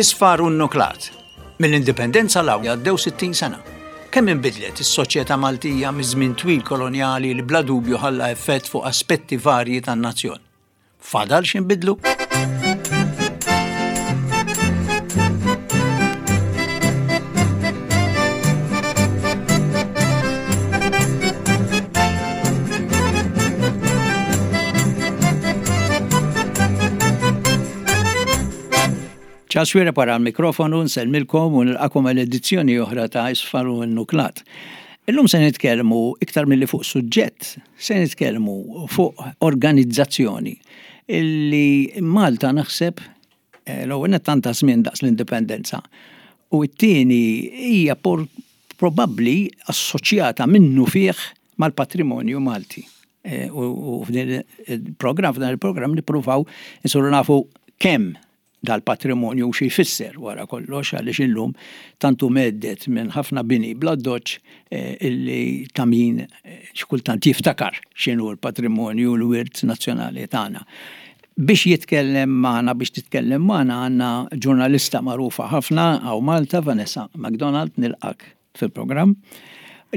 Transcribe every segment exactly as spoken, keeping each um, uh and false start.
Isfar u nnuklat. Mill-indipendenza 'l hawn għaddew sittin sena. Kemm inbidlet is-soċjetà Maltija miż-żmien twil kolonjali li bla dubju ħalla effett fuq aspetti varji tan-nazzjon. Fadal x'inbidlu? Charles Xuereb wara l-mikrofonu, nsellmilkom u nilqakom għal edizzjoni oħra ta' Isfar u Nuklat. Illum se nitkellmu iktar milli fuq suġġett, se nitkellmu fuq organizzazzjoni illi Malta naħseb eh, l-ewwel nett għandha żmien daqs l-indipendenza u t-tieni hija probabbli assoċjata minnu fih mal-patrimonju Malti. Eh, u f'din il-programm, f'dan il-programm nippruvaw insuru nafu kemm dal-patrimonju u xi jfisser wara kollox, għaliex illum tantu meddet minn ħafna bini bla doċ eh, illi ta' min eh, xi kultant jiftakar x'inhu l-patrimonju u l-wirt nazzjonali tagħna. Biex jitkellem magħna, biex titkellem magħna għandna ġurnalista magħrufa ħafna hawn Malta, Vanessa McDonald, nilqak fil-programm,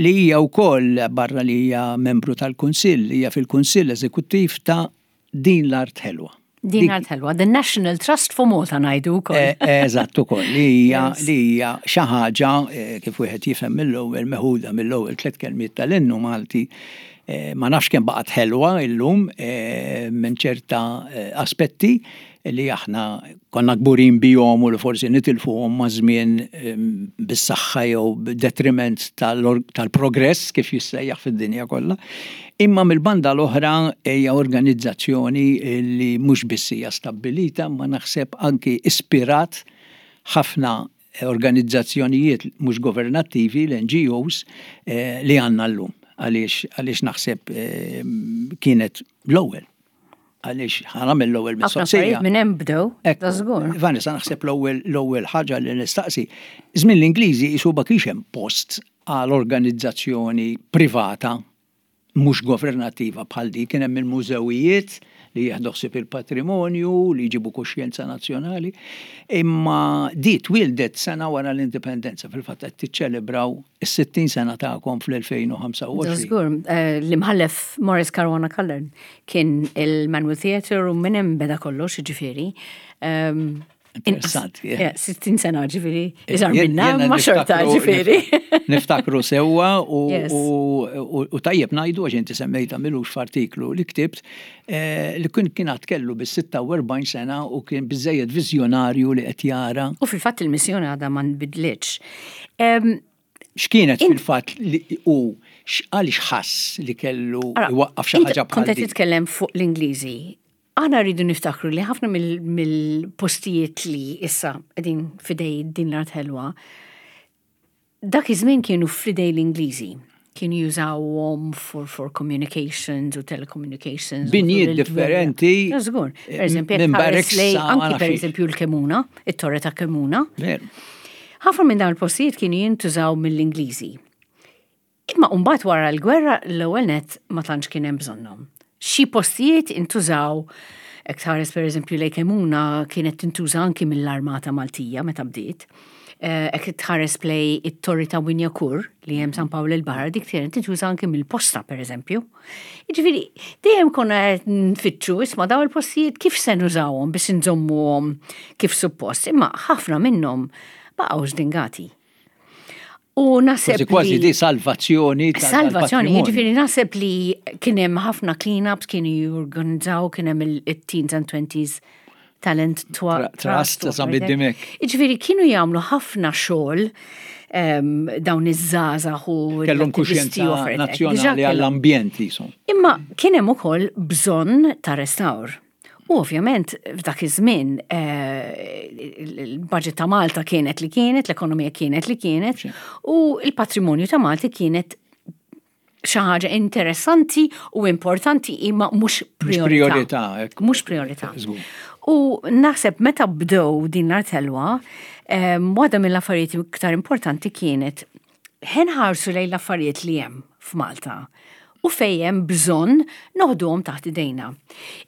li hija wkoll barra li hija membru tal-Kunsill, hija fil-Kunsill Eżekuttiv ta' Din l-Art Ħelwa. Din l-Art Ħelwa, The National Trust for Malta ngħidu wkoll. Eh, eh, eżatt ukoll, li hija li hija xi ħaġa eh, kif wieħed jifhem mill-ewwel meħuda mill-ewwel tliet kelmiet tal-innu Malti, ma nafx kemm baqgħet ħelwa illum minn ċerta aspetti li aħna konna kburin bihom u li forsi nitilfuhom ma' żmien bis-saħħa jew b'detriment tal-progress kif jissejjaħ fid-dinja kollha. Imma mill-banda l-oħra hija organizzazzjoni li mhux biss hija stabbilita, ma naħseb anki ispirat ħafna organizzazzjonijiet mhux governattivi, l-N G Os, li għandna llum. Għaliex, għaliex naħseb kienet l-ewwel. Għaliex ħanamel l-ewwel Ħafna mistoqsija. affarijiet minn hemm bdew, Ekku, da żgur. Vanessa, naħseb l-ewwel, l-ewwel ħaġa li nistaqsi. Żmien l-Ingliżi qisu ma kienx hemm post għal organizzazzjoni privata mhux governattiva bħal di, kien hemm il-mużewijiet li jieħdu ħsieb il-patrimonju, li jġibu kuxjenza nazzjonali, imma di twildet sena wara l-indipendenza, fil-fatt qed tiċċelebraw is-sittin sena tagħkom fl-elfejn u ħamsa u għoxrin. Żgur, eh, l-imħallef Maurice Caruana Curran kien il-Manoel Theatre u minn hemm beda kollox, ġifieri. Ehm, Interessanti, inqas, eh. eh, sittin sena ġifieri, Eh, iżgħar jien- minna, jiena ma xorta niftakru- ġifieri. Niftakru sewwa u, Yes. u, u, u tajjeb ngħidu għax inti semmejta milux f'artiklu li ktibt, eh, li kien kien għad kellu bis-sitta u erbgħin sena u kien biżejjed viżjonarju li qed jara. U fil-fatt il-missjoni għadha ma nbidlitx. Em, X'kienet int- fil-fatt li u għaliex ħass li kellu Ara, iwaqqaf xi int ħaġa bħal Kont qed din? titkellem fuq l-Ingliżi. Aħna rridu niftakru li ħafna mill-, mill-postijiet li issa qegħdin fidej din l-art ħelwa, dak iż-żmien kienu fidej l-Ingliżi. Kienu jużawhom for, for communications u telecommunications. u Binjiet tul il-gwerra. differenti, Ja, żgur. Per eh, eżempju, minn jekk tħares barracks lej sa ma anki nafx per xiex. eżempju l-Kemuna, it-Torre ta' Kemuna. Veru. Ħafna minn dawn il-postijiet kienu jintużaw mill-Ingliżi. Imma mbagħad wara l-gwerra l-ewwel nett ma tantx kien hemm bżonnhom. Xi postijiet intużaw, hekk tħares per eżempju lejn Kemuna kienet tintuża anki mill-Armata Maltija meta bdiet. Eh, hekk tħares plej it-Torri ta' Wignacourt li hemm San Pawl il-Baħar, dik kienet tintuża anki mill-posta per eżempju. Jiġifieri, dejjem konna qed nfittxu isma' dawn il-postijiet kif se nużawhom biex inżommuhom kif suppost, imma ħafna minnhom baqgħu żdingati. U naħseb Kważi kważi li di salvazzjoni ta' Salvazzjoni, tal-patrimonju. jiġifieri naħseb li kien hemm ħafna clean-ups, kienu jorganizzaw, kien hemm il-teens and twenties talent twa- Tra-, trust, trust u sa' bid-dimek. Jiġifieri kienu jagħmlu ħafna xogħol, ehm, dawn iż-żgħażagħ u Kellhom l-attivisti kuxjenza u affarijiet hekk. nazzjonali Diġà kellhom. għall-ambjent jisom. Imma kien hemm ukoll bżonn ta' restawr. U ovvjament f'dak iż-żmien, eh, il-budget ta' Malta kienet li kienet, l-ekonomija kienet li kienet, Sì. u l-patrimonju ta' Malta kienet xi ħaġa interessanti u importanti imma mhux Mhux priorità. priorità, ekku. Mhux priorità. Żgur. U naħseb meta bdew din l-art ħelwa, ehm, waħda mill-affarijiet iktar importanti kienet ħenħarsu lejn l-affarijiet li hemm f'Malta U fejn hemm bżonn noħduhom taħt idejna.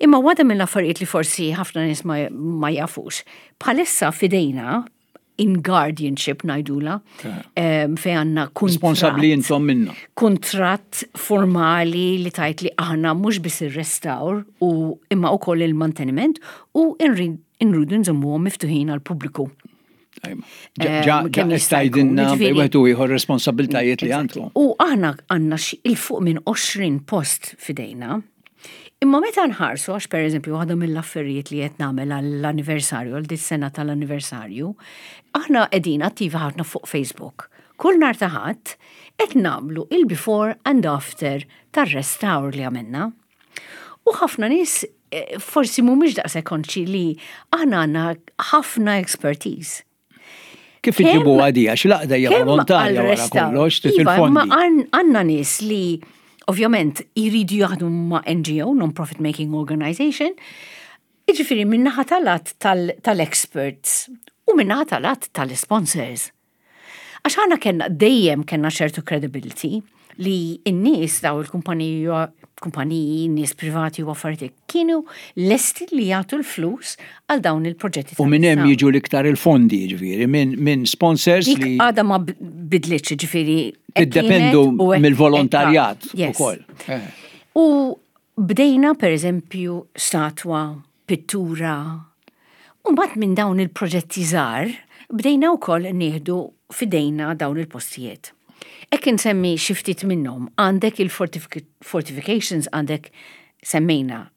Imma waħda mill-affarijiet li forsi ħafna nies ma, ma jafux, bħalissa f'idejna in guardianship ngħidulha, um, fejn għandna kuntratt. Responsabbli intom minna. Kuntratt formali li tgħid li aħna mhux biss ir-restawr u imma wkoll il-manteniment u nridu nżommuhom miftuħin għall-pubbliku. Ġa kemm jista' jkun, istajdinna jiġifieri- wieħed u ieħor responsabbiltajiet li għandkom. U aħna għandna xi 'il fuq minn għoxrin post f'idejna. Imma meta nħarsu, għax per eżempju, waħda mill-affarijiet li qed nagħmel għall-anniversarju, għal dis sena tal-anniversarju, aħna qegħdin attivi ħafna fuq Facebook. Kull nhar ta' Ħadd qed nagħmlu il-before and after tar-restawr li għamilna. U ħafna nies eh, forsi mhumiex daqshekk konxji li aħna għandna ħafna expertise. Kif iġibu għadi, għax l-għaqda hija Kemm volontarja wara għal-restawr? kollox, trid Iva, ma il-fondi. għan- għandna nies li ovvjament jridu jaħdmu ma' N G O, Non-Profit Making Organization, jiġifieri min-naħa tal-lat tal-experts u min-naħa tal-lat tal-sponsors. Għax aħna kellna dejjem kellna ċertu credibility li n-nies daw il-kumpaniji, kumpaniji, nies privati u affarijiet kienu lesti li jagħtu l-flus għal dawn il-proġetti. U minn hemm tal-restawr. jiġu l-iktar il-fondi, ġifieri, minn min sponsors Dik li għada ma bidlitx, ġifieri. Hekk tiddependu kienet u hekk- mill-volontarjat hekk- Yes. ukoll. Eh. U bdejna per eżempju statwa, pittura. U mbagħad minn dawn il-proġetti żgħar bdejna wkoll nieħdu f'idejna dawn il-postijiet. Hekk insemmi xi ftit minnhom, għandek il-fortifications, għandek semmejna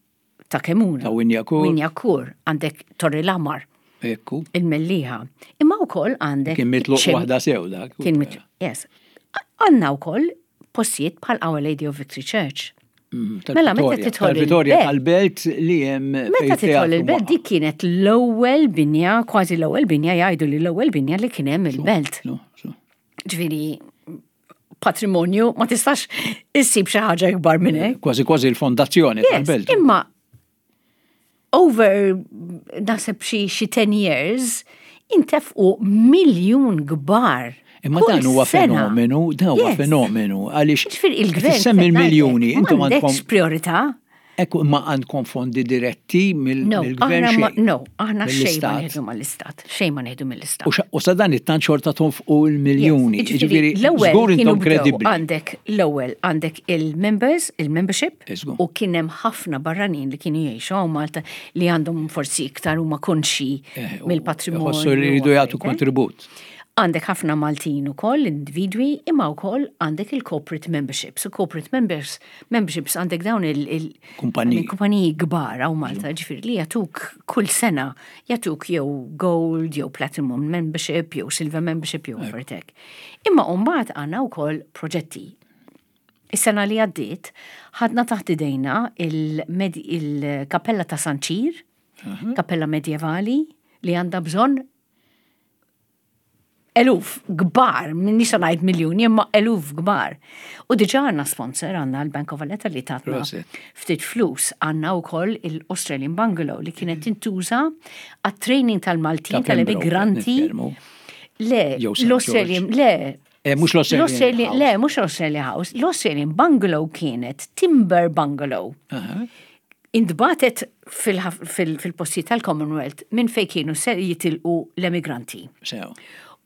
ta' Kemuna. Ta' Wignacourt. Wignacourt, għandek Torri l-Aħmar, Ekku. il-Mellieħa. Imma wkoll għandek Kien mitluq ċem- waħda sew dak. Kien mitluq, yes. Għandna wkoll postijiet bħal Our Lady of Victory Church. Mm, Mela, meta tal-Vitorja. tidħol Tal-Vitorja il-belt- tal-belt li hemm Meta fejn tidħol teatru il-belt, waqa'. dik kienet l-ewwel binja, kważi l-ewwel binja, jgħidu li l-ewwel binja li kien hemm il-belt. No, so. Ġifieri patrimonju ma tistax issib xi ħaġa ikbar minn hekk. Kważi kważi l-fondazzjoni Yes, tal-belt. imma over naħseb xi xi ten years intefqu miljun kbar. Imma Kull dan huwa sena. fenomenu, dan huwa Yes. fenomenu għaliex Ġifieri il-gvern semmi l-miljuni, intom għandkom m'għandekx priorità. Ekku ma għandkom fondi diretti mill- No, mill-gvern aħna ma, xejn. no, aħna xejn ma Mill-istat. nieħdu mill-istat. Xejn ma nieħdu mill-istat. U xa- U sa dan it-tant xorta tonfqu l-miljuni. Yes, Ġifieri, l-ewwel żgur kienu intom bdew kredibbli. Għandek l-ewwel għandek il-members, il-membership, Iżgur. u kien hemm ħafna barranin li kienu jgħixu hawn Malta li għandhom forsi iktar huma konxi Eh, u mill-patrimonju. Ħossu li jridu u jagħtu affarijiet, eh. kontribut. Għandek ħafna Maltin ukoll, individwi, imma wkoll għandek il-corporate memberships. U corporate members, memberships għandek dawn il- il- Kumpaniji. kumpaniji kbar hawn Malta, ġifieri li jagħtuk kull sena, jagħtuk jew gold, jew platinum membership, jew silver membership, jew affarijiet. Imma mbagħad għandna wkoll proġetti. Is-sena li għaddiet, ħadna taħt idejna il-kappella ta' San Ċir, kappella medjevali, li għandha bżonn eluf kbar, m'iniex ngħid miljuni, imma eluf kbar. U diġà għandna sponsor, għandna l-Bank of Valletta li tatna Prosit. ftit flus, għandna wkoll il-Australian Bungalow li kienet tintuża għat-training tal-Maltin, Ta' Pembroke, tal-immigranti. nitkellmu. Le, Jew Saint l-Australian, le. Eh, mhux l-Australian L-Australian, House. le, mhux l-Australia House, l-Australian Bungalow kienet timber bungalow. Aha. Intbagħtet fil-postijiet tal-Commonwealth minn fej kienu se jitilqu l-emigranti. Sew.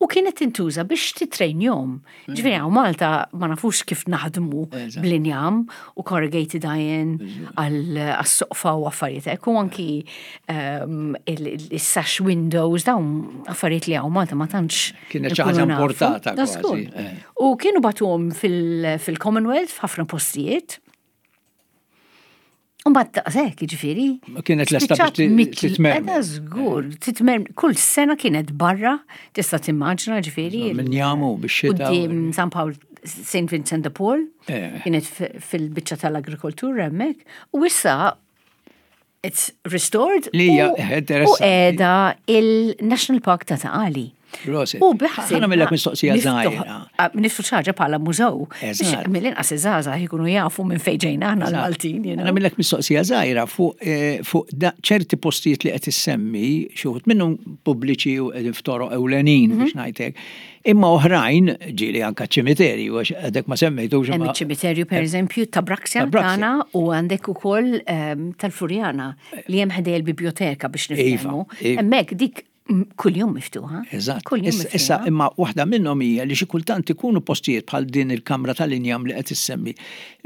U kienet tintuża biex titrejnjom. Ġifieri hawn Malta ma nafux kif naħdmu Eżatt. bl-injam u corrugated iron għal-soqfa u affarijiet hekk. U anki um, il-sash windows, dawn affarijiet li hawn Malta ma tantx Kienet xi nkunu ħaġa nafu. importata Da kważi, żgur. eh. U kienu bagħtuhom fil- fil-Commonwealth f'ħafna postijiet. U mbagħad daqshekk, jiġifieri. Kienet lesta biex Spiċċat ti- mitl- titmermer. Eda żgur, titmermer. Kull sena kienet barra, tista' timmaġina ġifieri. Minn jamu biex xita. Quddiem San Pawl, Saint Vincent de Paul, Eh. kienet f- fil-biċċa tal-agrikoltura hemmhekk. U issa it's restored Li hija, u- eh, interessanti. u qiegħda il-National Park ta' Ta' Qali. Prosit. U biħsib. Ħa nagħmillek mistoqsija żgħira. Niftħu xi ħaġa bħala mużew. Eżatt. Mill-inqas iż-żgħażagħ jkunu jafu minn fejn ġejna aħna l-Maltin, you know. Nagħmillek mistoqsija żgħira fuq eh, fuq da- ċerti postijiet li qed issemmi, xi wħud minnhom pubbliċi u qegħdin f'toroq ewlenin Mhm. biex ngħidlek. Imma oħrajn ġieli anka ċimiterju għax għadek ma semmejtux Hemm imma- iċ-ċimiterju per eżempju ta' Braxia Ta' Braxia. tagħna u għandek ukoll ehm, tal-Furjana li hemm ħdej il-biblioteka biex Iva, niftehmu. iva. Hemmhekk dik mm, kuljum miftuħa. Eżatt. Kuljum Issa, issa miftuħa. imma waħda minnhom hija li xi kultant ikunu postijiet bħal din il-kamra tal-injam li qed issemmi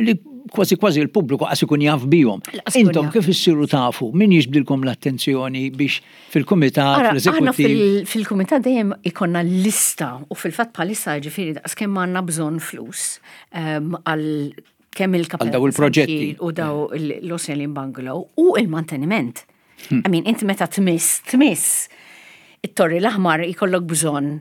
li kważi kważi l-pubbliku qas ikun jaf bihom. Lanqas ikun Intom jaf. kif issiru tafu, min jiġbdilkom l-attenzjoni biex fil-kumitat, Ara, aħna fl-eżekuttiv. fil- fil-kumitat dejjem ikollna lista u fil-fatt bħalissa ġifieri daqs kemm għandna bżonn flus ehm, għal kemm il-kapella Għal daw il-proġetti. u daw l-Australian Bungalow u il-manteniment. Hmm. I mean, inti meta tmiss, tmiss it-Torri l-Aħmar ikollok bżonn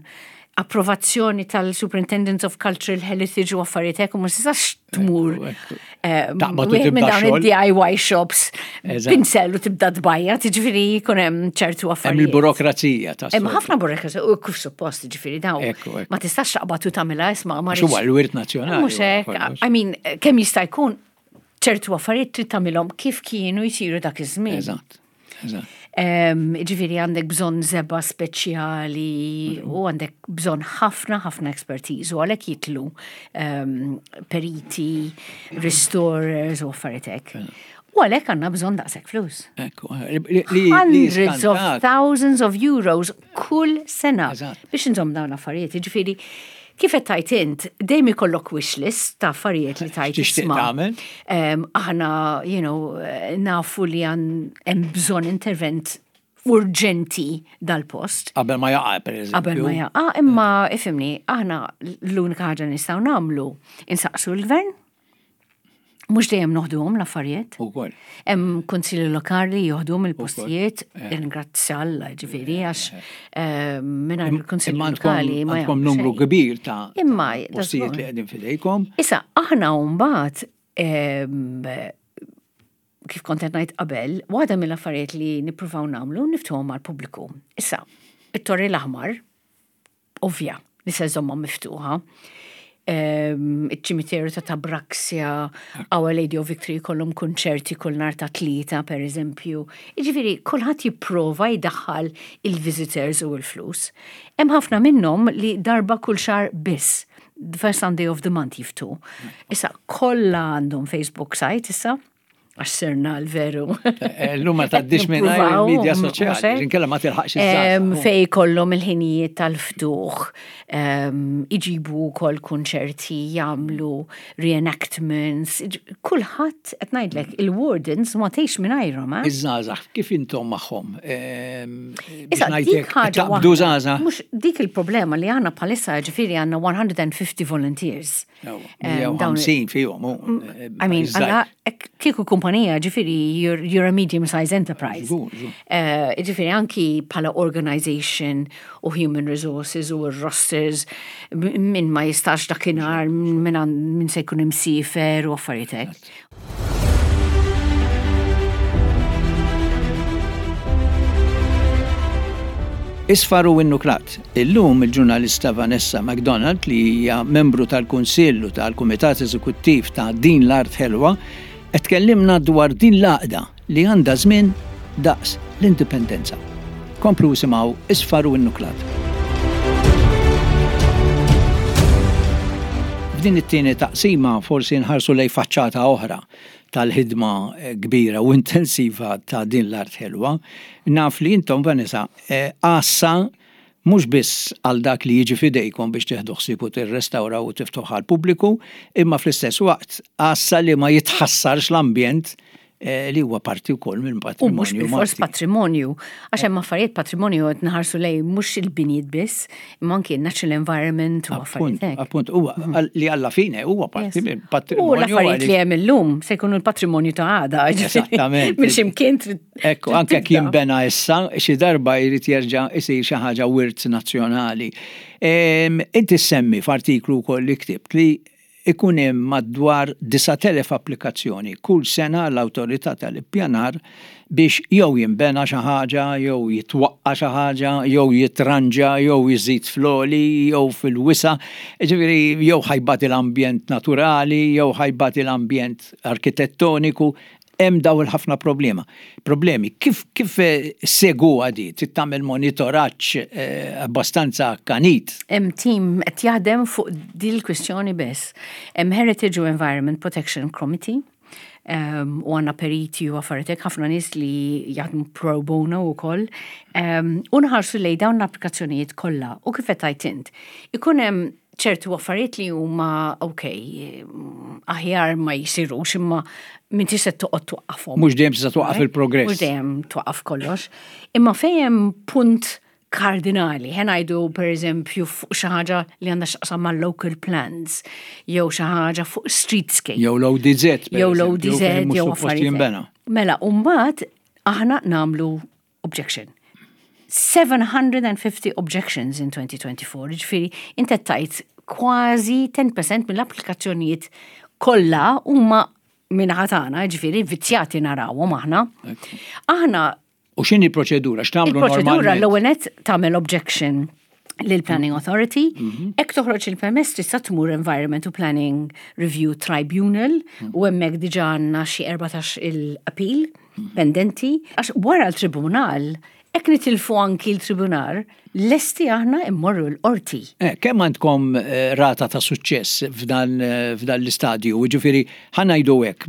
approvazzjoni tal-Superintendence of Cultural Heritage u affarijiet hekk u ma tistax tmur Ekku, ekku. eh, Taqbad u wieħed minn tibda dawn xogħol. il-D I Y shops Eżatt. pinsel u tibda tbajja, tiġifieri jkun hemm ċertu Hemm affarijiet. il-burokrazija ta' Hemm ħafna burokrazija u kif suppost ġifieri daw. Ekku, ekku. Ma tistax taqbad u tagħmilha isma' ma Għax huwa l-wirt nazzjonali. Mhux hekk, kollox. I mean, kemm jista' jkun ċertu affarijiet trid tagħmilhom kif kienu jsiru dak iż-żmien. Eżatt. Eżatt. Em, Ġifieri għandek bżonn żebgħa speċjali u għandek bżonn ħafna ħafna expertise u għalhekk jidħlu em, periti, restorers u affarijiet hekk. U għalhekk għandna bżonn daqshekk flus. Ekku, li- li- li Hundreds of skantak. thousands of euros kull sena Eżatt. biex inżomm dawn l-affarijiet. Ġifieri, kif qed tajt int, dejjem ikollok wish list ta' affarijiet li tajt X'tixtieq isma'. tagħmel? Em, Aħna, you know, eh, nafu li għan hemm bżonn intervent urġenti dal-post. Qabel ma jaqa', per eżempju. Qabel ma jaqa', imma ifhimni, aħna l-unika ħaġa nistgħu nagħmlu insaqsu l-gvern, mhux dejjem noħduhom l-affarijiet. Ukoll. Hemm kunsilli lokali joħduhom il-postijiet, Eh. ringrazzja Alla ġifieri għax eh, mingħajr il-kunsilli Imma għandkom lokali ma għandkom jagħmlu numru xejn. kbir ta' Imma postijiet li qegħdin fidejkom. Issa, aħna mbagħad em, kif kont qed ngħid qabel, waħda mill-affarijiet li nippruvaw nagħmlu niftħuhom għall-pubbliku. Issa, it-Torri l-Aħmar, ovvja, li se żommha miftuħa. Em, Iċ-ċimiterju ta' Tabraxia, Our Lady of Victory kollhom konċerti kull nhar ta' Tlieta, per eżempju. Jiġifieri, kulħadd jipprova jdaħħal il-visitors u l-flus. Hemm ħafna minnhom li darba kull xahar biss. The first Sunday of the month jiftħu. Issa, kollha għandhom Facebook site issa, għax sirna l-veru. Eh, Llum ma tgħaddix minn Nippruvaw, il-medja mhux soċjali, hekk? inkella ma tilħaqx Em, iż-żgħażagħ. Fej kollhom il-ħinijiet tal-ftuħ, em, iġibu kol konċerti, jagħmlu reenactments, iġ- kulħadd qed ngħidlek il-wardens ma tgħix mingħajrhom, eh? Iż-żgħażagħ, kif intom magħhom? Ehm, biex Issa, dik ngħidlek, ħaġa taqbdu waħda. żgħażagħ. Mhux dik il-problema li għandna bħalissa ġifieri għandna one hundred and fifty volunteers. Em, dawn- mija u ħamsin fihom. hu, eh, I mean, iż-żgħir. għalla, ek- kieku kumpanija, ġifieri, you're, you're a medium-sized enterprise. Żgur, żgur. Eh, Ġifieri, anki bħala organization u human resources u rosters, m- min ma jistax dakinhar, min, għan- min se jkun imsiefer u affarijiet hekk. Isfar u Innuklat. Illum il-ġurnalista Vanessa McDonald, li hija membru tal-Kunsill u tal-Kumitat Eżekuttiv ta' Din l-Art Ħelwa, qed tkellimna dwar din l-għaqda li għandha żmien daqs l-indipendenza. Komplu isimgħu Isfar u Innuklat. F'din it-tieni taqsima forsi nħarsu lej faċċata oħra tal-ħidma eh, kbira u intensiva ta' Din l-Art Ħelwa. Naf li intom, Vanessa, eh, għassa mhux biss għal dak li jiġi fidejkom biex tieħdu ħsieb u tirrestawraw u tiftuħ għal pubbliku, imma fl-istess waqt għassa li ma jitħassarx l-ambjent eh, li huwa parti wkoll minn U mhux patrimonju bil-fors Malti. patrimonju, għax hemm affarijiet patrimonju qed nħarsu lej mhux il-binjiet biss, imma anki natural environment u Appunt, affarijiet hekk. appunt, huwa li alla fine huwa parti Yes. minn U patrimonju. l-affarijiet li għaliex- hemm illum se jkunu l-patrimonju ta' għada. Esattament. Minn ximkien trid. Ekku, trid anke tibda. kien bena issa, xi darba jrid jerġa' isir xi ħaġa wirt nazzjonali. Em, Inti semmi f'artiklu wkoll li ktibt li Ikun hemm madwar disat elef applikazzjoni kull sena l-awtorità tal-ippjanar biex jew jinbena xi ħaġa, jew jitwaqqa xi ħaġa, jew jitranġa, jew jiżid fl-għoli, jew fil-wisa', ġifieri jew ħa jbati l-ambjent naturali, jew ħa jbati l-ambjent arkitettoniku, hemm daw il-ħafna problema. Problemi, kif kif eh, issegwu di, trid tagħmel monitoraġġ eh, abbastanza akkanit? Hemm team qed jaħdem fuq din il-kwistjoni biss. Hemm Heritage u Environment Protection Committee um, u għandna periti u affarijiet, ħafna nies li jaħdmu pro bono u koll. Um, u nħarsu lej dawn l-applikazzjonijiet kollha u kif qed tgħid int. Ikun hemm ċertu affarijiet li huma ok, aħjar ma jsirux, imma m'intix se toqgħod twaqqafhom. Mhux dejjem tista' twaqqaf il-progress. Mhux dejjem twaqqaf kollox. Imma fejn hemm punt kardinali, ħa ngħidu per eżempju fuq xi ħaġa li għandha x'taqsam mal local plans, jew xi ħaġa fuq streetscape. Jew l-O D Z. Jew l-O D Z, jew affarijiet. Mela, u mbagħad aħna nagħmlu objection. seven hundred and fifty objections in twenty twenty-four, ġifieri, inti tajt kważi għaxra fil-mija mill-applikazzjonijiet kollha huma minn ħatana, ġifieri, vizzjati narawhom aħna. Aħna U x'inhi proċedura? X'tagħmlu? Il-proċedura, l-ewwel nett tagħmel objection lill-Planning Authority, mhm. Jekk toħroġ il-permess, tista' tmur Environment u Planning Review Tribunal mhm. u hemmhekk diġà għandna xi erbatax il-appeal mhm. pendenti. Għax wara l-tribunal, jekk nitilfu anki l-tribunal, lesti aħna immorru l-qorti. Eh, kemm għandkom eh, rata ta' suċċess f'dan eh, f'dan l-istadju? Ġifieri, ħa ngħidu hekk,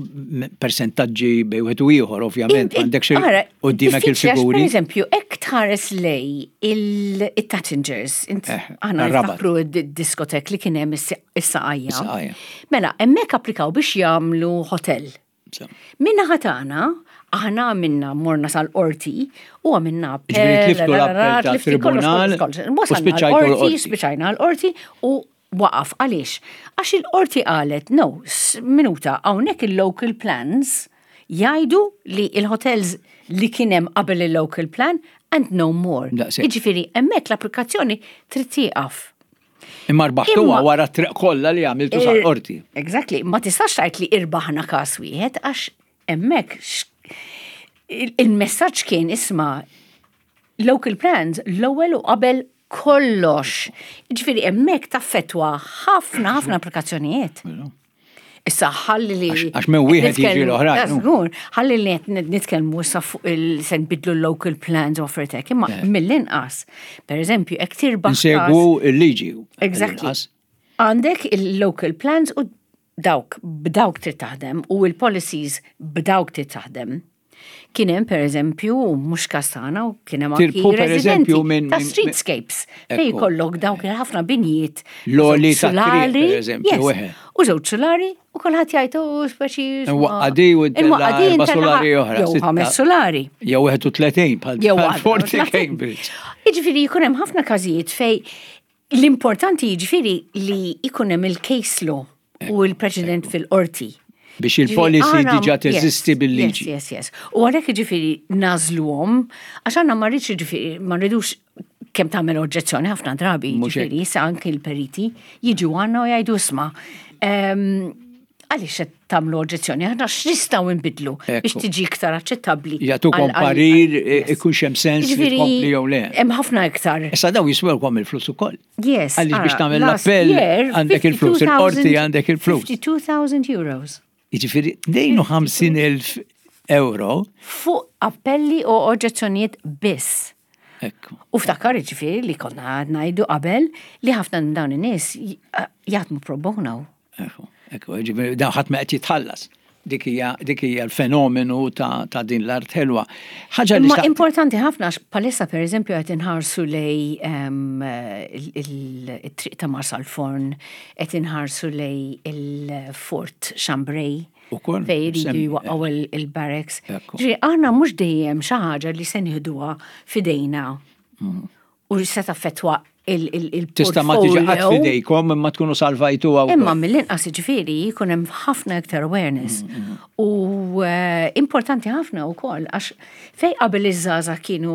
persentaġġi bejn wieħed u ieħor, ovvjament, għandek xi quddiemek il-figuri. Per eżempju, jekk tħares lej il-Tattingers, aħna niftakru d-diskotek li kien hemm is-Saqajja. Mela, hemmhekk applikaw biex jagħmlu hotel. Minna ħatana, aħna minna morna sal-qorti u għamilna Tribunal. U spiċċajna, spiċċajna l-qorti u waqaf. Għaliex? Għax il-qorti qalet, "No, minuta, hawnhekk il-local plans jgħidu li il-hotels li kien hemm qabel il-local plan and no more." Jiġifieri, hemmhekk l-applikazzjoni trid tieqaf. Imma rbaħtuha wara triq kollha li għamiltu sal-qorti. Exactly, ma tistax tgħid li irbaħna każ wieħed, għax hemmhekk il-messaġġ kien, isma', local plans l-ewwel u qabel kollox. Ġifieri hemmhekk taffettwa ħafna ħafna applikazzjonijiet. Issa ħalli li. Għax minn wieħed jiġi l-oħrajn. Żgur, ħalli li qed nitkellmu issa fuq il se nbidlu l-local plans u affarijiet, imma eh. mill-inqas. Per eżempju, jekk tirbaħ. Insegwu il-liġi. Exactly. Għandek il-local plans u dawk b'dawk trid taħdem u il-policies b'dawk trid taħdem. Kien hemm per eżempju, mhux kastana, u kien hemm anki residenti minn ta' streetscapes fejn jkollok dawk il-ħafna binjiet. L-għoli solari, per eżempju. U żewġ solari u kulħadd jgħid u speċi. Waqqadi u erba' solari oħra. Jew ħames solari. Jew wieħed u tletin bħal Forti Cambridge. Jiġifieri jkun hemm ħafna każijiet fej l-importanti jiġifieri li jkun hemm il-case law u l-preċedent fil-qorti. Biex il-policy diġa teżisti bil-liġi. Yes, yes, yes. U għalhekk ġifieri nagħżluhom, għax għandna ma rridx, ġifieri ma rridux kemm tagħmel oġġezzjoni ħafna drabi, ġifieri issa anke l-periti jiġu għandna u jgħidu, "Isma', għaliex qed tagħmlu oġġezzjoni? Aħna x'nistgħu nbidlu biex tiġi iktar aċċettabbli?" Jagħtukom parir, ikun hemm sens li tkompli jew le. Hemm ħafna iktar. Issa daw jiswewkom il-flus ukoll. Yes. Għaliex biex tagħmel l-appell għandek il-flus, il-qorti għandek il-flus. fifty-two thousand euros. Jiġifieri tnejn u ħamsin elf euro. Fuq appelli u oġġezzjonijiet biss. Ekku. U ftakar ġifieri li konna ngħidu qabel li ħafna minn dawn in-nies jaħdmu pro bono. Ekku, ekku, ġifieri dawn ħadd ma qed jitħallas. Dik hija dik hija l-fenomenu ta', ta' din l-art ħelwa. Ħaġa li importanti ħafna, għax palissa per eżempju qed inħarsu lej il-triq ta' Marsalforn, qed inħarsu lej il-Fort Chambray. Fej jridu jwaqqgħu il-barracks. Ġifieri aħna mhux dejjem xi ħaġa li se nieħduha f'idejna mm. u se taffettwa il-portfolio. Tista' ma tiġi qatt f'idejkom imma tkunu salvajtu għaw. Imma mill-inqas, ġifieri, jkun hemm ħafna iktar awareness. Mm, mm. U eh, importanti ħafna wkoll għax fej qabel iż-żgħażagħ kienu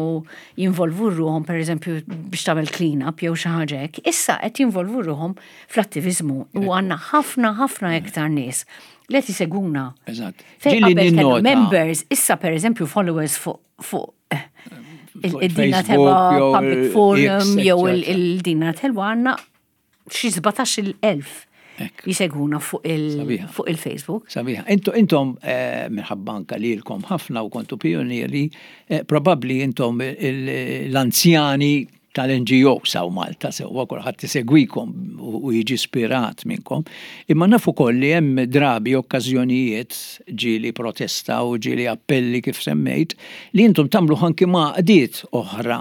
jinvolvu ruhom, pereżempju, biex tagħmel clean up jew xi ħaġa hekk, issa qed jinvolvu ruhom fl-attiviżmu u għandna ħafna ħafna iktar nies li qed jisegwuna. Eżatt. Fej Ġieli qabel kellna ninnota- members, issa pereżempju followers fuq fuq eh, Fuq il-Dina Facebook Teba jew Public il- Forum X, jew eccetera. il-Din l-Art Ħelwa, għandna xi sbatax-il elf Ekk. jisegwuna fuq il- Sabiħa. fuq il-Facebook. Sabiħa. Intom, intom eh, minħabba anka lilkom ħafna u kontu pionieri, eh, probabli intom il- l-anzjani tal-N G O hawn Malta, sewwa, kulħadd isegwikom u u jiġi ispirat minnkom. Imma nafu koll li hemm drabi okkażjonijiet, ġieli protesta u ġieli appelli kif semmejt, li intom tagħmlu anki ma' għaqdiet oħra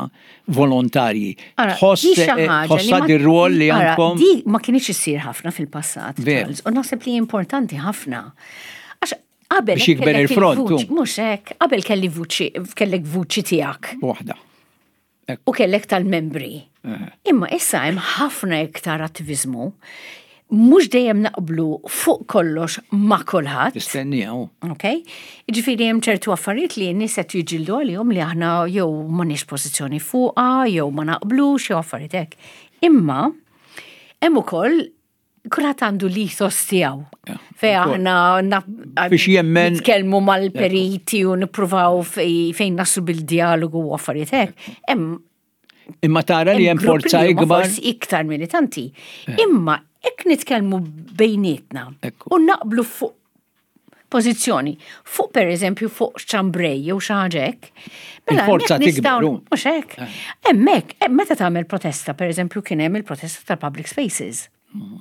volontarji. Ara, Tħoss di xi eh, ħaġa li tħossha ma- dir-rwol li Ara, għandkom. di ma kienx issir ħafna fil-passat, Veru. Charles, u naħseb li importanti ħafna. Għax qabel Biex jikber kellek il-front, il-vuċi- tu. Mhux hekk, qabel kelli vuċi, kellek vuċi tiegħek Waħda. u kellek tal-membri. Eh. Imma issa hemm ħafna iktar attivizmu. Mhux dejjem naqblu fuq kollox ma' kulħadd. Tistennija, u. Ok? Ġifieri hemm ċertu affarijiet li n-nies qed jiġġieldu għalihom li aħna jew m'għandniex pożizzjoni fuqha, jew ma naqblux, jew affarijiet hekk. Imma hemm ukoll kulħadd għandu l-ethos tiegħu. Ja, Fej ukoll. aħna na- Biex jemmen- nitkellmu mal-periti u nippruvaw fej- fejn naslu bil-dialogu u affarijiet hekk. Hemm Imma tara li hemm gruppi forza li huma ikbar. forsi iktar militanti. Imma hekk nitkellmu bejnietna Ekku. u naqblu fuq pożizzjoni, fuq per eżempju fuq ċambrej jew xi ħaġa hekk. Mela Il-forza hemmhekk tikber, nistgħu- u. Mhux hekk. Hemmhekk, eh, meta tagħmel protesta, per eżempju, kien hemm il-protesta tal-public spaces.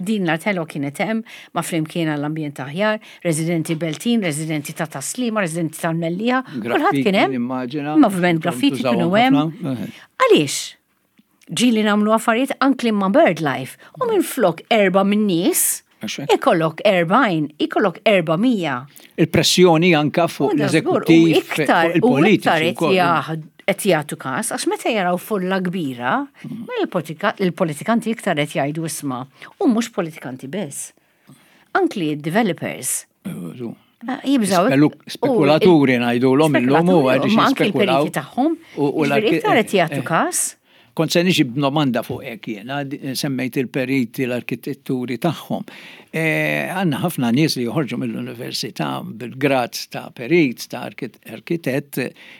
Din l-Art Ħelwa kienet hemm ma' Flimkien għall-Ambjent Aħjar, residenti Beltin, residenti ta' Tas-Sliema, residenti tal-Mellieħa, kulħadd kien hemm. Immaġina. Movement Graffiti Tużawhom kienu hemm. ħafna. Eh. Għaliex? Ġieli nagħmlu affarijiet anki ma' BirdLife. U minn flok erba' minn nies, Għax hekk. ikollok erbgħin, ikollok erba' mija. Il-pressjoni anka fuq U da żgur, l-eżekuttiv, u iktar, fuq u iktar il-politiċi qed wkoll. jaħd- qed jagħtu każ, għax meta jaraw folla kbira, ma il-politika- il-politikanti iktar qed jgħidu isma', u mhux politikanti biss. Anki developers. Eh, Jibżaw. Spelu- Spekulaturi ngħidulhom illum u għaliex Ma anki jispekulaw. il-periti tagħhom. U- u Jiġifieri l-arki- iktar qed jagħtu eh, każ. Kont se niġi b'domanda fuq hekk jiena, di- semmejt il-periti, l-arkitetturi tagħhom. E, Għandna ħafna nies li joħorġu mill-università bil-grad ta' perit, ta' arkit- arkitett,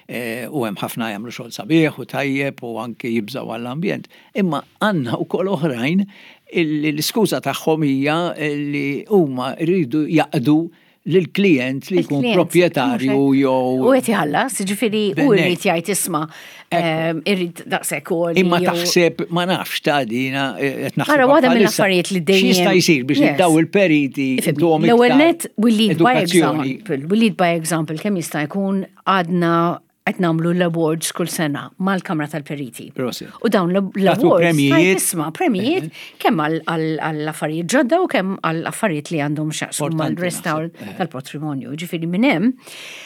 e, u hemm ħafna jagħmlu xogħol sabiħ u tajjeb u anke jibżaw għall-ambjent. Imma għandna wkoll oħrajn illi l-iskuża tagħhom hija li huma jridu jaqdu lill-klient li jkun Il-klient, proprjetarju mhux hekk. jew U qed iħallas, ġifieri u Bennej. jrid jgħid isma', ehm, irrid daqshekk u Imma taħseb, ma nafx ta' dina, eh, qed naħseb Ara, waħda bħalissa. mill-affarijiet li dejjem- X'jista' jsir biex Yes. daw il-periti intuhom L-ewwel iktar net, we lead by edukazzjoni. example. We lead by example, kemm jista' jkun għadna qed nagħmlu l-awards kull sena mal-Kamra tal-Periti. Prosit. U dawn Tagħtu l-awards, premjijiet. isma', premjijiet kemm għall-affarijiet ġodda u kemm għall-affarijiet li għandhom x'jaqsmu Importanti mal-restawr naħseb, eh. tal-patrimonju. Ġifieri minn hemm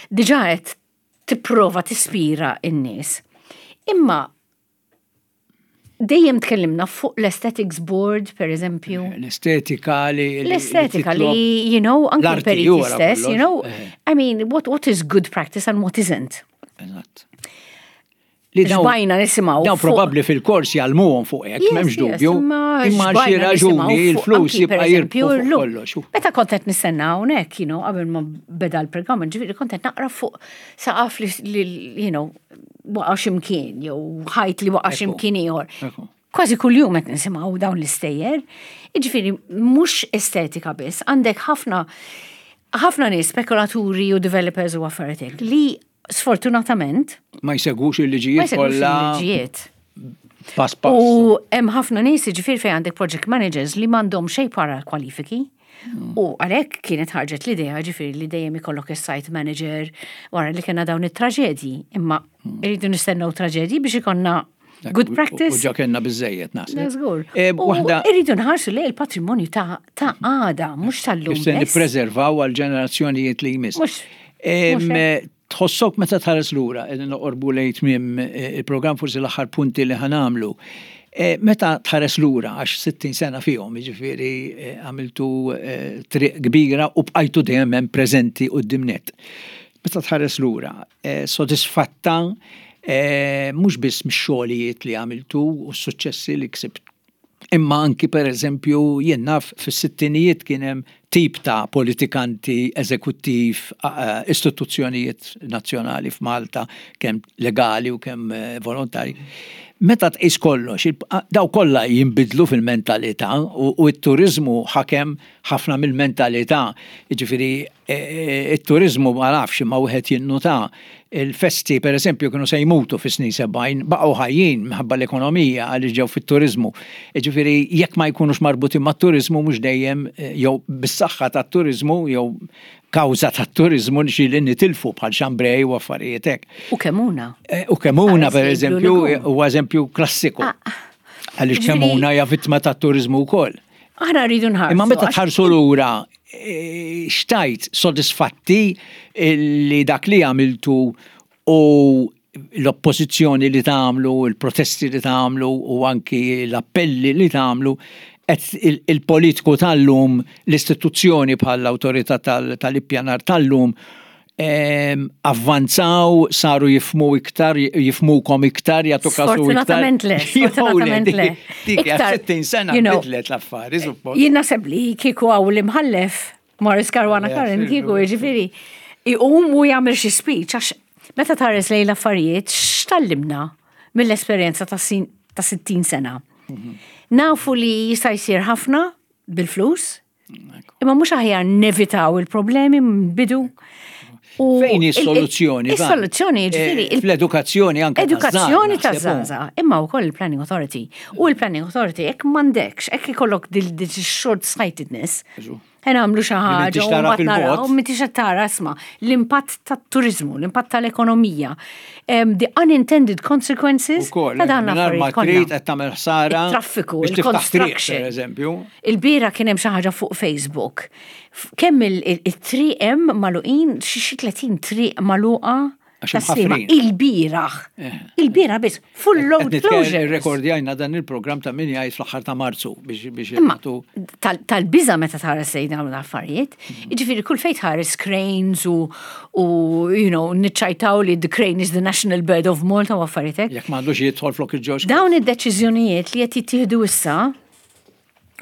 diġà qed tipprova tispira n-nies. Imma dejjem tkellimna fuq l-Aesthetics Board, per eżempju. L-estetika li. li- L-estetika titlob- li, you know, anke L-arti l-periti wara stess, you kollox. know, Eh. I mean, what, what is good practice and what isn't? Eżatt. Li dawn- Xbajna nisimgħu Dawn fuq- probabbli fil-kors jgħallmuhom fuq hekk, Yes, m'hemmx yes, dubju. Imma Imma għal xi xbajna nisimgħu raġuni fuq il-flus anki, per jibqa' jirbħu eżempju, fuq llum. kollox. Meta kont qed nistenna hawnhekk, you know, qabel ma beda l-programm, ġifieri kont qed naqra fuq saqaf li, li, you know, waqa' x'imkien, jew ħajt li waqa' Ekku. x'imkien ieħor. Ekku. Kważi kuljum qed nisimgħu dawn l-istejjer. Jiġifieri mhux estetika biss, għandek ħafna ħafna nies, spekulaturi u developers u affarijiet li sfortunatament Ma jsegwux ma il-liġijiet jsegwux kollha il-liġijiet. pass pass. U hemm ħafna nies, ġifieri fejn għandek project managers li m'għandhom xejn para kwalifiki. U għalhekk kienet ħarġet l-idea, ġifieri, li dejjem ikollok is-site manager wara li kena dawn it-traġedji. Imma irridu nistennew traġedji biex ikollna good practice. U ġa kellna biżejjed naħseb. Żgur. E, U Waħda irridu nħarsu li il-patrimonju ta' ta' għada, mhux tal-lum kif se biss. nippreservaw għal ġenerazzjonijiet li jmiss. Mhux- Em, mhux Tħossok meta tħares lura, qegħdin noqorbu lejn tmiem eh, il-programm, forsi l-aħħar punti li ħa nagħmlu. Eh, meta tħares lura, għax sittin sena fihom, jiġifieri eh, għamiltu eh, triq kbira u bqajtu dejjem hemm preżenti quddiem net. Meta tħares lura, sodisfatta mhux biss mix-xogħlijiet li għamiltu u s-suċċessi li ksibt, imma anki, per eżempju, jien naf, fis-sittinijiet kien hemm tip ta' politikanti, eżekuttiv, istituzzjonijiet nazzjonali f'Malta, kemm legali u kemm volontari. Meta tqis kollox, daw kollha jinbidlu fil-mentalità u t-turizmu ħakem ħafna mill-mentalità. Jiġifieri e, e, it-turizmu, ma nafx, ma wieħed jinnuta il-festi, per eżempju, kienu se jmutu fis-snin sebgħin, baqgħu ħajjin minħabba l-ekonomija, għaliex ġew fit-turizmu. Jiġifieri jekk ma jkunux marbutin mat-turizmu mhux dejjem, e, jew bis-saħħa tat-turizmu jew kawża tat-turizmu xi li nitilfu bħal Chambray u affarijiet hekk. U Kemuna. Eh, u Kemuna, per eżempju, u eżempju klassiku. Ah. Għaliex Kemuna hija vittma tat-turizmu wkoll. Aħna rridu nħarsu. Imma meta tħarsu lura, eh, xtajt sodisfatti li dak li għamiltu u l-oppożizzjoni li tagħmlu, il-protesti li tagħmlu u anki l-appelli li tagħmlu, il-politiku tal-lum, l-istituzzjoni bħall-awtorità tal-ippjanar tal-lum, avvanzaw, saru jifhmu iktar, jifhmukom iktar, jagħtu kasu iktar? Sfortunatament le, sfortunatament le. Dik sittin sena bidlet l-affari, suppost. Jien naħseb li kieku hawn l-imħallef Maurice Caruana Curran, kieku, ġifieri, iqum u jagħmel xi speech, għax meta tħares lejn l-affarijiet, x'tgħallimna mill-esperjenza ta' sittin sena? Mhm. Nafu li jista' jsir ħafna bil-flus, imma mhux aħjar nevitaw il-problemi bidu. Fejn is-soluzzjoni? Is-soluzzjoni, ġifieri. Eh, fl-edukazzjoni anke. Edukazzjoni ta' żgħażagħ, imma wkoll il-Planning Authority. U il-Planning Authority, jekk m'għandekx, jekk ikollok dil short sightedness, ħa nagħmlu xi ħaġa u mbagħad naraw, m'intix qed tara, isma', l-impatt tat-turizmu, l-impatt tal-ekonomija, the unintended consequences ta' dan l-affarijiet. Ma trid qed tagħmel ħsara. Traffiku, il-construction. Per eżempju. Il-bieraħ kien hemm xi ħaġa fuq Facebook. Kemm il-triq hemm magħluqin, xi tletin triq magħluqa. Il-bieraħ. Eh. Il-bieraħ biss, full road closure. Rekordjajna dan il-program ta' min jgħid fl-aħħar ta' Marzu biex Imma tal-biża meta tħares lejn dawn l-affarijiet. Mhm. Jiġifieri kull fejn tħares cranes u you know, niċċajtaw li the crane is the national bird of Malta u affarijiet. Jekk m'għandux jidħol flok il-ġoġ. Dawn id-deċiżjonijiet li qed jittieħdu issa,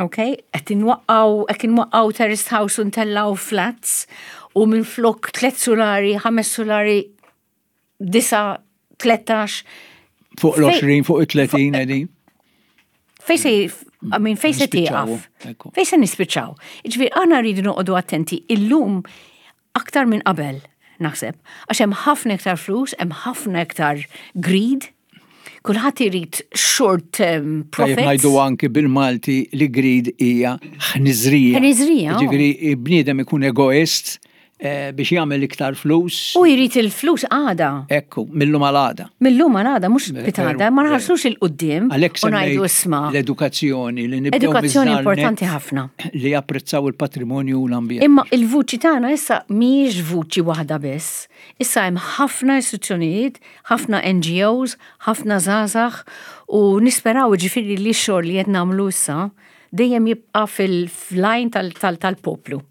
ok, qed inwaqqgħu qed inwaqqgħu terraced house u ntellgħu flats u minn flok tliet solari, ħames solari, disgħa, tlettax. Fuq l-għoxrin, fuq il-tletin, qegħdin. Fejn se, I mean, fejn se tieqaf? Fejn se nispiċċaw? Ġifieri, aħna rridu noqogħdu attenti illum aktar minn qabel, naħseb. Għax hemm ħafna iktar flus, hemm ħafna iktar greed, kulħadd irid short term profits. Ngħidu anki bil-Malti li greed hija ħniżrija. Ħniżrija. Ġifieri bniedem ikun egoist eh, biex jagħmel iktar flus. U jrid il-flus għada. Ekku, millum għal-għada. Millum għal-għada, mhux pitgħada, ma nħarsux 'il quddiem. Għalhekk u ngħidu, isma'. L-edukazzjoni li nibdew Edukazzjoni importanti ħafna. Li japprezzaw il-patrimonju u l-ambjent. Imma il-vuċi tagħna issa mhijiex vuċi waħda biss. Issa hemm ħafna istituzzjonijiet, ħafna N G Os, ħafna żgħażagħ u nisperaw, ġifieri, li x-xogħol li qed nagħmlu issa dejjem jibqa' fil-lajn tal-poplu.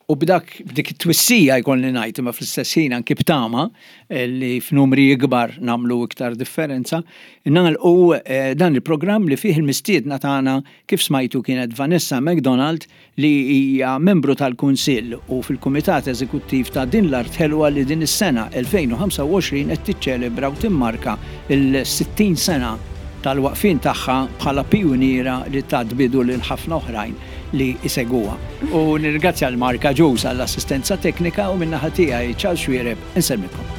U b'dak b'dik it-twissija, jkolli ngħid, imma fl-istess ħin anki b'tama eh, li f'numri ikbar nagħmlu iktar differenza, nagħlqu eh, dan il-programm li fih il-mistiedna tagħna, kif smajtu, kienet Vanessa McDonald, li hija membru tal-Kunsill u fil-Kumitat Eżekuttiv ta' Din l-Art Ħelwa, li din is-sena elfejn u ħamsa u għoxrin qed tiċċelebra u timmarka il-sittin sena tal-waqfin tagħha bħala pijuniera li tat bidu lil ħafna oħrajn li isegwuha. U nirringrazzja l-Marka Ġus għall-assistenza teknika u min-naħa tiegħi, Charles Xuereb, insellmilkom.